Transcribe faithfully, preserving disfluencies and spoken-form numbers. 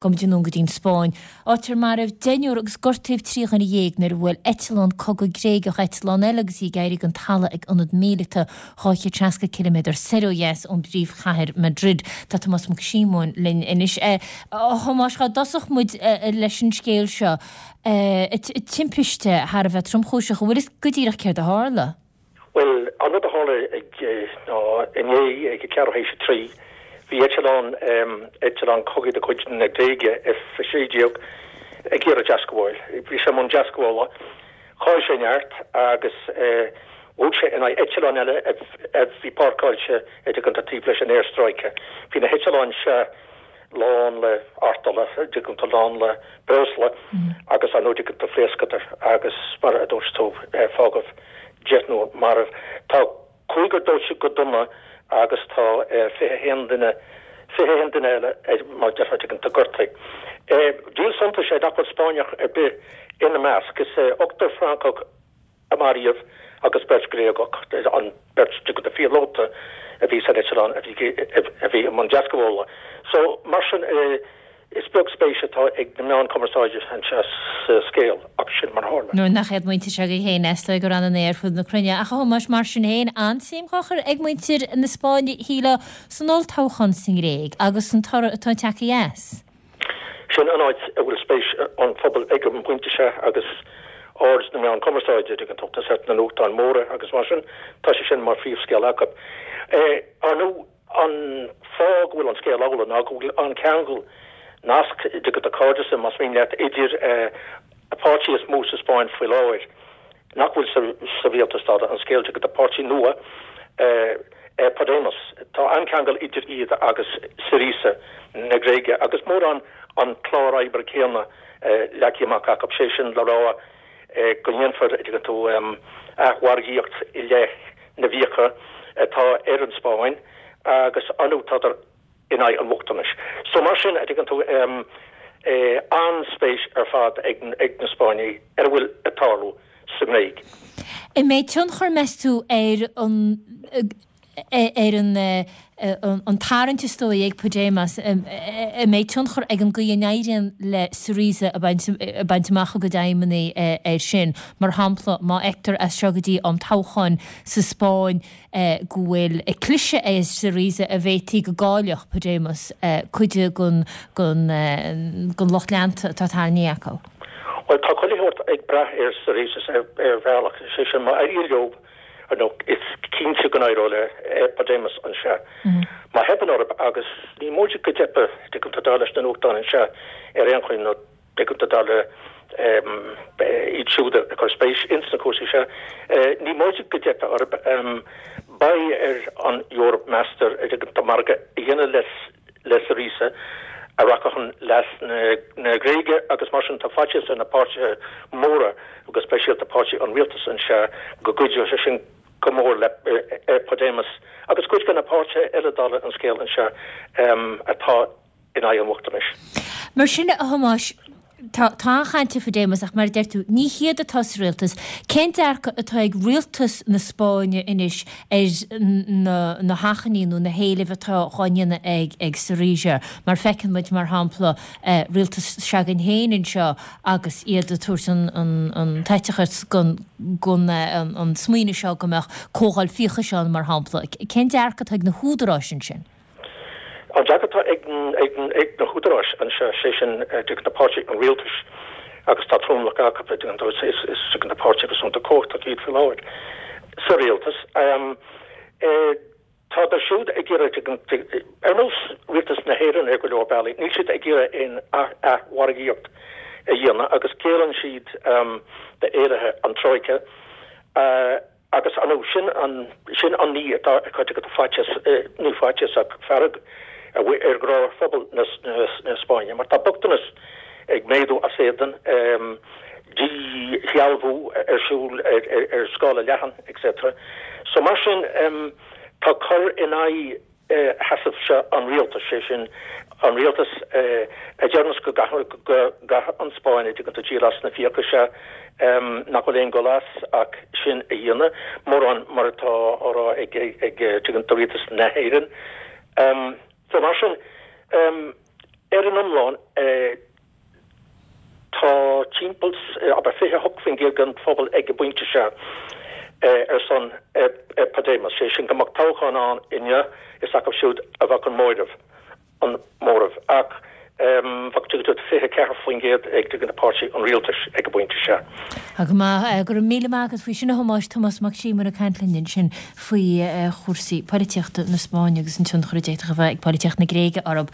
Gabhfaidh muid anonn go dtí an Spáinn, áit ar maraíodh deichniúr agus gortaíodh trí dhuine dhéag nuair a bhuail eitleán cogaidh Gréigeach eitleán eile agus í ag éirí den talamh ag ionad míleata dhá chéad seasca ciliméadar soir ó dheas ón bpríomhchathair Madrid. Tá Tomás Mac Síomóin linn anois. A Thomáis, dhá dtosódh muid leis an scéal seo, timpiste thar a bheith tromchúiseach, an bhfuil fhios go díreach céard a tharla? Bhuel, an rud a tharla ag ná inné ag a ceathrú théis a trí, bhí eitleán, eitleán cogaidh de chuid na Gréige, F a sé déag, ag iarraidh deascabháil. Bhí sé i mbun deascabhála. Chaill sé neart agus bhuail sé in aghaidh eitleán eile a bhí páirceáilte an dtuigeann tú taobh leis an aerstráice. Bhí na heitleáin seo lán le artola, an dtuigeann tú, lán le breosla agus ar ndóigh an dtuigeann tú phléascadar agus mar a dúirt tú fágadh deichniúr marbh. Tá cúigear dóite go dona agus tá fiche a haon duine, fiche a haon duine eile mar a déarfá an dtuigeann tú gortaithe. Díol suntais é nach bhfuil Spáinneach ar bith ina measc. Is ochtar Francach a maraíodh agus beirt Ghréagach, an beirt an dtuigeann tú phíolóta a bhí san eitleán a bhí a bhí i mbun deascabhála. So mar sin is beag spéis atá ag na meáin cumarsáide anseo sa scéal ach sin mar a tharla. Nuair nach iad muintir s'againn féin, is dóigh gur annamh ar fud na cruinne. Ach a Thomáis, mar sin féin, an-suim á chur ag muintir na Spáinne, shílfeá, san olltoghchán sa nGréig agus san toradh atá tagtha as. Sin an áit a bhfuil spéis an phobail ag an bpointe seo agus aird na meán cumarsáide, an dtuigeann tú, tá na nuachtáin mhóra agus mar sin, tá sé sin mar phríomhscéal acu. Ar ndóigh, An fáth go bhfuil an scéal amhlaidh ná go bhfuil an ceangal, nasc, an dtuigeann tú, cairdeas, más mian leat, idir an páirtí is mó sa Spáinn faoi láthair, nach bhfuil sa rialtas dála an scéil, an dtuigeann tú, páirtí nua, Podemos. Tá an-cheangal idir iad agus Syriza na Gréige agus mórán an clár oibre céanna leagtha amach acu, sé sin le rá go ndéanfar, an dtuigeann tú, athmhargaíocht i leith na bhfiacha atá ar an Spáinn agus ar ndóigh tádar in aghaidh an bhochtanais. So mar sin, a' dtuigeann tú, an-spéis ar fad ag na Spáinnigh ar a bhfuil ag tarlú sa nGréig. An mbeidh tionchar, meas tú, ar an ar an an tarraingt is dóigh ag Podemos, an mbeidh tionchar ag an gcaoi a n-éiríonn le Syriza a baint amach a gcuid aidhmeanna air sin? Mar shampla, má fheictear as seo go dtí am toghcháin sa Spáinn go bhfuil cliseadh ar Syriza an bhféadfaí go gcaillfeadh Podemos cuid den den lucht leanta atá tarraingthe acu. Bhuel, tá chuile shórt ag brath ar Syriza ar bhealach, sé sin, má éiríonn leo, Ar ndóigh, is cinnte go n-éireoidh le Podemos anseo. Má theipeann orthu, agus ní móide go dteipfidh, dtuigeann tú, dar leis na nuachtáin anseo ar aon chaoi, nó dtuigeann tú, dar le iad siúd a chuir spéis ins na cúrsaí seo, ní móide go dteipfidh orthu. Beidh ar an Eoraip, meastar, dtuigeann tú, margadh a dhéanamh le le Syriza a rachadh chun leas na Gréige agus mar sin tá faitíos ar na páirtithe móra, go speisialta páirtí an rialtais anseo, go gcuideodh sé sin go mór le Podemos agus cuid de na páirtithe eile dála an scéil anseo atá in aghaidh an bhochtanais. Mar sin, a Thomáis, Tá an-chaint ar Phodemos ach mar a deir tú, ní hiad atá sa rialtas. Cén dearcadh atá ag rialtas na Spáinne anois ar na hachainí nó na héilimh atá dhá ndéanamh ag Syriza? Mar feiceann muid, mar shampla, rialtas s'againn féin anseo agus iad ag tabhairt an t-eiteachas don smaoineamh seo go mbeadh comhdháil fiachais ann, mar shampla. Cén dearcadh atá ag na húdaráis ansin? An dearcadh atá ag na húdaráis anseo, sé sin dtuigeann tú páirtí an rialtais, agus tá tromlach acu, dtuigeann tú, is dtuigeann tú páirtí réasúnta cumhachtach iad faoi láthair sa rialtas. Tádar siúd ag iarraidh, dtuigeann tú, ar nós rialtas na hÉireann ar go leor bealaí, níl siad ag iarraidh aon athmhargaíocht a dhéanamh agus géilleann siad d'éilithe an Troika. Agus, ar ndóigh, sin an, sin an ní atá ag cur dtuigeann tú faitíos, ní faitíos ach fearg ar ghnáthphobal na, na Spáinne, mar tá bochtanas ag méadú as éadan, díshealbhú ar siúl ar, ar, ar scála leathan, etc. So mar sin, tá cur in aghaidh sheasamh seo an rialtais, sé sin, an rialtas a deireanns go gcaithfidh an Spáinn, a dtuigeann tú, díol as na fiacha seo, nach bhfuil aon dul as ach sin a dhéanamh, mórán mar atá á rá ag, tuigeann tú, rialtas na hÉireann. So mar sin, Ar an iomlán, tá timpeall abair fiche a hocht faoin gcéad den phobal ag an bpointe seo ar son Podemos, sé sin go mbeadh toghchán ann inniu, is acu siúd a bheadh an móramh, an móramh. Ach bheadh tuigtear fiche a ceathair faoin gcéad ag tuigeann páirtí an rialtais ag an bpointe seo. Tá go maith. Go raibh míle maith agat faoi sin a Thomáis, Tomás Mac Síomóin ag caint linn ansin faoi chúrsaí polaitíochta na Spáinne agus an tionchar a d'fhéadfadh a bheith ag polaitíocht na Gréige orthu.